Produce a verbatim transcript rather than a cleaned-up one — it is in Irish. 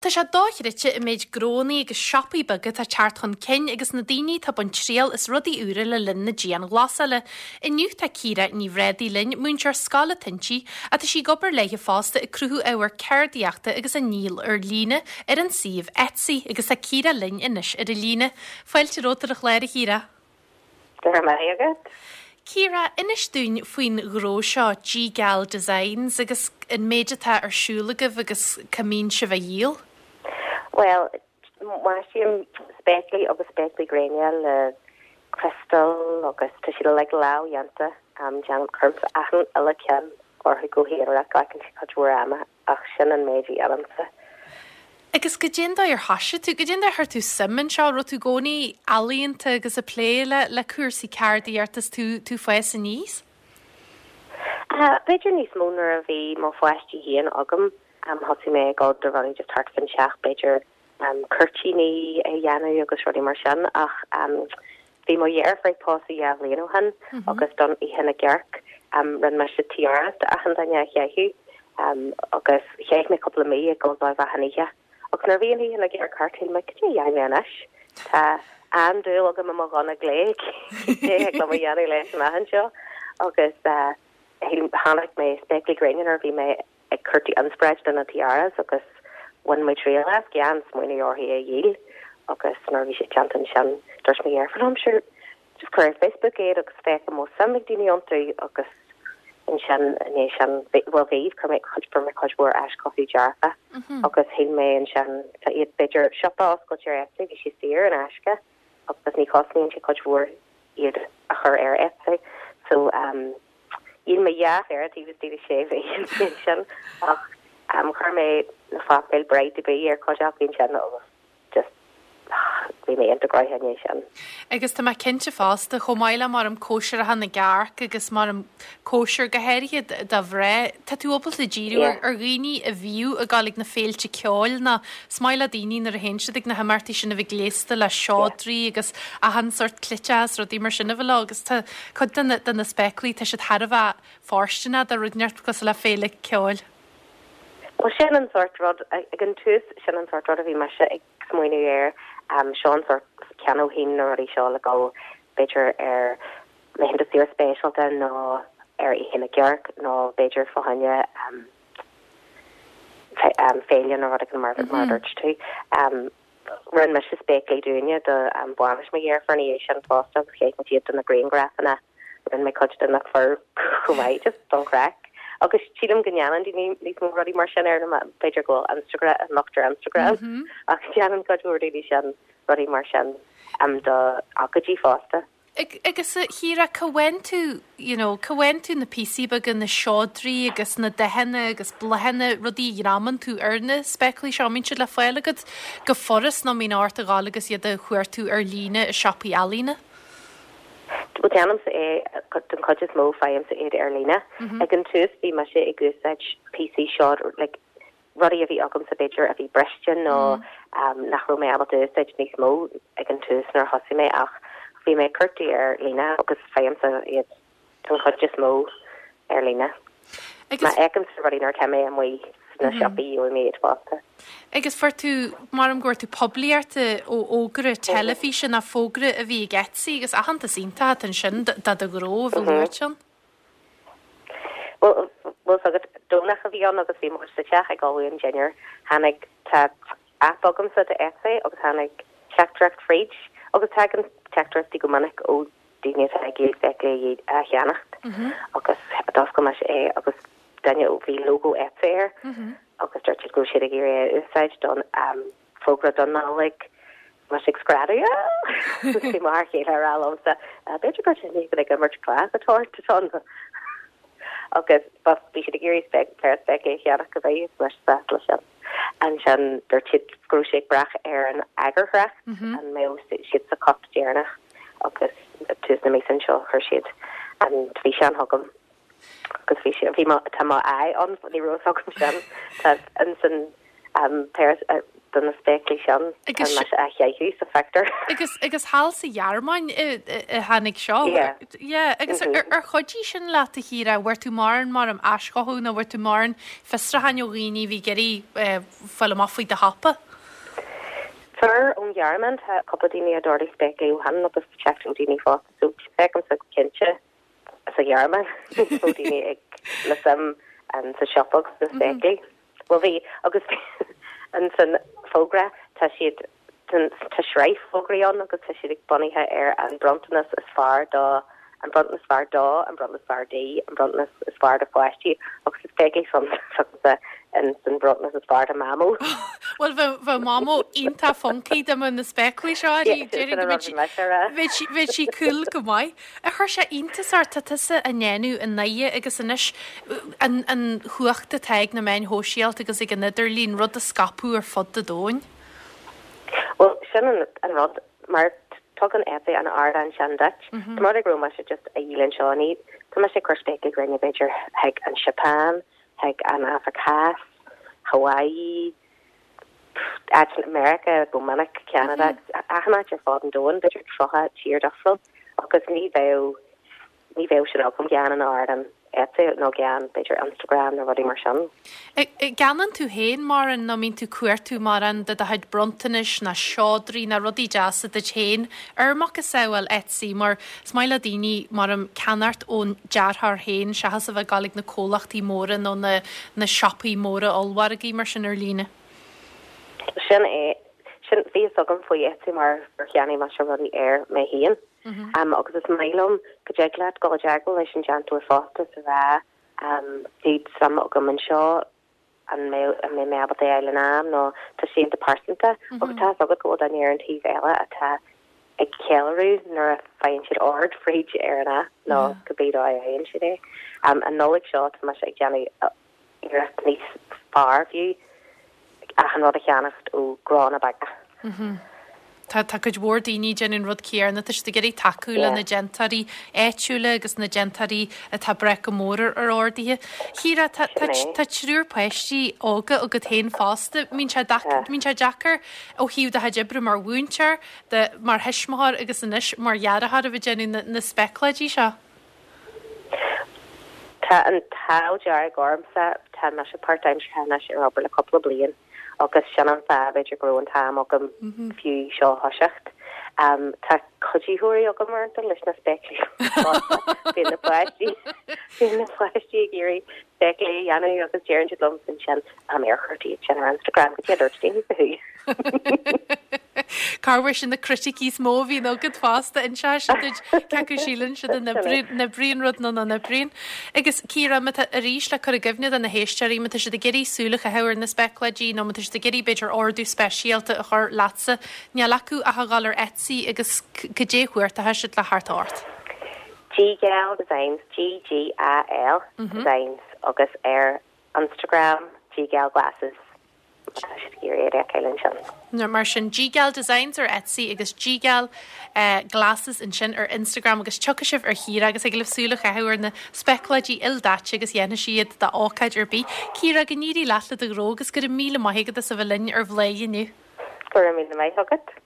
Tá sé dochreidte an méid gnónna agus siopaí beaga atá ag teacht chun cinn agus na daoine atá ag baint triail as rudaí úra le linn na dianghlasála. Inniu tá Ciara Ní Bhréadaí linn, múinteoir scoile atá inti, ach tá sí ag obair léi fosta ag cruthú ábhar ceardaíochta agus á ndíol ar líne ar an suíomh Etsy agus tá Ciara linn anois ar an líne. Fáilte romhat ar an chlár, a Chiara. Go raibh maith agat. Ciara, inis dúinn faoin ghnó seo G-Gal Designs agus an méid atá ar siúl agaibh agus cá mbíonn sibh á dhíol. Well, maisím spéaclaí agus spéaclaí gréine le crystal agus tá siad like lámhdhéanta um, déanaim cuirimse achan uile ceann orthu go haonarach glacann sé cuid mhór ama ach sin an méid a dhéanaimse. Agus goidé an dóigh ar thosaigh tú, goidé an dóigh ar chuir tú suim anseo, raibh tú i gcónaí ealaíonta agus ag plé le le cúrsaí ceardaíochta is tú tú ag fás aníos? Uh, B'fhéidir níos mó nuair a bhí mo pháistí féin agam um, thosaigh mé ag dul do rudaí just thart fán teach b'fhéidir um, cuirtíní a dhéanamh agus rudaí mar sin ach um, bhí mo dheirfiúr ag pósadh dhá bhliain ó shin mm -hmm. agus don Oíche na gCearc um, rinne mise tiara d'achan duine a chaitheamh um, agus chaith mé cúpla mí ag dul dóibh achan oíche. Agus nuair bhí an Oíche na gCearc thart shíl mé cad é a dhéanfaidh mé anois Tá an-dúil agam i mo ghunna glé le mo dhéanamh leis an achan seo agus uh, tháinig mé spéaclaí gréine nuair bhí mé ag cuartú inspioráid do na tiaras agus bhain mé triail as gan smaoineamh orthu a dhíol agus nuair bhí sé déanta ansin dúirt mo dheirfiúr liom sure just cuir ar Facebook iad agus féach an bhfuil suim ag daoine iontu agus ansin né sin bhfuil bhí chuir mé chuid fuair mé cuid mhór aischothaí dearfa agus shíl mé ansin tá iad b'fhéidir siopa oscailte ar Etsy bhí sé saor in aisce agus ní chosnaíonn sé cuid mhór iad a chur ar Etsy so um, Dhíol mé dhá phéire taobh istigh de sé mhí sin ach um, chuir mé na focail bride to be ar cuid acu sin agus just bhí mé iontach gnóthach sin. Agus tá mé cinnte fosta chomh maith le mar am cóisireacha na gcearc agus mar am cóisir go háirithe do mhná Tá tú ábalta díriú Yeah. ar dhaoine a bhíonn ag gabháil ag na féilte ceoil ná is maith le daoine nuair a théann siad ag na himeachtaí sin a bheith gléasta le seodraí agus achan sórt cleiteas rudaí mar sin a bheith leo agus tá cuid de na- de na spéaclaí tá siad thar a bheith fóirsteanach do rud inteacht cosúil le féile ceoil. Well sin an sórt rud ag an tús sin an sórt rud a bhí mise ag smaoineamh air um, seo an sórt ceannóinn na rudaí seo le go b'fhéidir ar laethanta saoire speisialta nó ar Oíche na gCearc nó b'fhéidir fá choinne um, fe, um, féile nó rud mar mar dúirt tú. Um, Rinne mise spéaclaí dúinne do um, bainis mo dheirfiúr é sin fosta agus chaith muid iad do na grianghrafanna rinne mé cuid de na fir chomh maith just don chraic. Agus sílim go ndéanann daoine níos mó rudaí mar sin ar na b'fhéidir go bhfuil Instagram an lucht ar Instagram mm -hmm. ach déanann cuid mhór daoine sin rudaí mar sin um, do ócáidí fosta. Ag- Agus a Chiara cá bhfaigheann tú you know, cá bhfaigheann tú na píosaí beaga na seodraí agus na dathanna agus bláthanna rudaí a ghreamaíonn tú ar na spéaclaí seo mbíonn siad le fáil agat go furast nó mbíonn ort a ghabháil agus iad a chuartú ar líne i siopaí ealaíne. Well déanaimse é den chuid is mó faighimse iad ar líne. Ag an tús bhí mise ag úsáid píosaí seo like, rudaí a bhí agamsa b'fhéidir a bhí briste nó um, nach raibh mé ábalta úsáid níos mó ag an tús nuair a thosaigh mé ach bhí mé cuartú ar líne agus faighimse iad den chuid is mó ar líne. Agus Má fheicimse rudaí nuair atá mé amuigh sna siopaí gheobhaidh mé iad fosta. Agus fuair tú mar am go bhfuair tú poiblíocht ó fhógra teilifíse na fógra a bhí ag Etsy agus aitheantas iontach ansin do do ghnó a bhí luaite ann. Well well agat Domhnach a bhí ann agus bhí muid sa teach ag ullmhú an dinnéar tháinig tá app agamsa de Etsy agus tháinig teachtaireacht fríd agus tagann teachtaireachtaí go minic ó daoine atá ag iarraidh spéaclaí a cheannacht agus d'oscail mé é agus duine ó bhí logo Etsy air agus dúirt siad go raibh siad ag iarraidh é a úsáid don um, fógra don Nollaig Mas ag screadadh Bhí mar chéile ag rá liomsa b'fhéidir gur sin go ag imirt cleas atá ann agus bhí siad ag iarraidh spéic péire spéaclaí a cheannach go bheith leis leis sin. Ansin dúirt siad go raibh sé ag brath ar an eagarthóireacht an mbeadh siad sa cut deireanach agus tús na míosa seo chuir siad an físeán chugam agus bhí sé bhí tá má aghaidh ann ní raibh agam sin tá ansin um, péire uh, do na spéaclaí sin tá mise á chaitheamh sa phictiúr. Agus agus thall sa Ghearmáin a tháinig seo? Yeah. Yeah, agus ar ar chuidigh sin leat a Chiara, bhfuair tú mórán mar am aischothú nó bhfuair tú mórán fiosrúcháin ó dhaoine a bhí ag iarraidh fáil amach faoi do shiopa? Fuair ón Ghearmáin tá cúpla daoine a d'ordaigh spéaclaí ó shin agus teacht ó daoine fásta so feicimse go cinnte sa Ghearmáin ó daoine ag le suim sa siopa agus sna spéaclaí. Bhuel bhí agus an san fógra tá siad tá sraith fógraí ann agus tá siad ag bunaithe ar an bronntanas is fearr do an bronntanas fearr dó an bronntanas fearr di an bronntanas is fearr do pháistí agus is spéaclaí san an san bronntanas is fearr do Mamó. Bhuel bheadh Mamó iontach funky dá mbeadh na spéaclaí seo bheadh bheadh sí cool go maith. Ar chuir sé iontas ort tá tusa á ndéanamh i nDoire agus anois an an chumhacht atá ag na meáin shóisialta agus ag an idirlíon rud a scaipeadh ar fud an domhain? Well sin an, an rud mar tugann Etsy an ardán sin duit. Tá mar go raibh mise just a dhíol anseo ní tá mise ag cur spéaclaí gréine b'fhéidir chuig an Seapáin, chuig an Afraic Theas, Hawaii, áit in America go minic Canada, achan áit ar fud an domhain b'fhéidir tríocha tír difriúil agus ní bheadh ní bheadh sin agam gan an ardán Etsy nó gan b'fhéidir Instagram nó rudaí mar sin. Ceannaíonn tú féin mórán nó mbíonn tú cuartú mórán de do chuid bronntanais ná seodra ná rudaí deasa duit féin ar macasamhail Etsy mar is maith le daoine mar am ceannacht ón dearthóir féin seachas a bheith ag gabháil ag na comhlachtaí móra nó na na siopaí móra ollmhargaí mar sin ar líne. Sin é sin bhí a fhios agam faoi Etsy mar gur cheannaigh mise rudaí air mé féin. Um, agus is maith liom go dtig leat dul i dteagmháil leis an déantóir fosta sa rá um, bhí suim agam anseo an mbeidh an mbeidh mé ábalta é a fháil in am nó tá sé iontach pearsanta agus tá agat go bhfuil duine ar an taobh eile atá ag ceiliúradh nuair a faigheann siad ord fríd ar an app nó cibé dóigh a fhaigheann siad é. Um, an Nollaig seo tá mise ag déanamh iarracht níos fearr fiú achan rud a cheannacht ó gnónna beaga. Tá tá cuid mhór daoine déanamh an rud céanna tá siad ag iarraidh tacú le na déantóirí áitiúla agus na déantóirí atá ag brath go mór ar ar orduithe. Ciara tá tá tá triúr páistí óga agat féin fosta, mbíonn sé mbíonn sé deacair ó thaobh do chuid oibre mar mhúinteoir, de mar thuismitheoir agus anois mar dhearthóir a bheith déanamh na, na spéacláidí seo. Tá an t-ádh dearg ormsa tá mise páirtaimseartha anois ar obair le cúpla bliain agus sin an fáth b'fhéidir go raibh an t-am agam fiú seo a thoiseacht. Um, tá cuiditheoirí agam uaireanta leis na spéaclaí Bíonn na páistí bíonn na páistí ag iarraidh spéaclaí a dhéanamh agus deireann siad liom ansin am ar chuir tú sin ar Instagram go dtí dúirt daoine fúthu. Cá sin na criticí is mó a bhíonn agat fosta inseoidh siad duit cé acu síleann siad an n-oibríonn rud nó nach n-oibríonn. Agus Ciara má tá arís le cur i gcuimhne do na héisteoirí má tá siad ag iarraidh súil a chaitheamh ar na spéacláidí nó má tá siad ag iarraidh b'fhéidir ordú speisialta a chur leatsa, níl acu ach a dhul ar Etsy agus cad é chuartaithe siad le theacht ort. GGal Designs G G A L Designs agus ar Instagram GGal Glasses. Tá siad ag iarraidh é a fheiceáil ansin. No, mar sin GGal Designs ar Etsy agus GGal uh, Glasses ansin ar Instagram agus tiocfaidh sibh ar Chiara agus ag libh súil a chaitheamh ar na spéacláidí ildaite agus dhéanfaidh siad d'ócáid ar bith. Ciara go n-éirí leat le do ghnó agus go raibh míle maith agat as a bheith linn ar Bhladhaire inniu. Go raibh míle maith agat.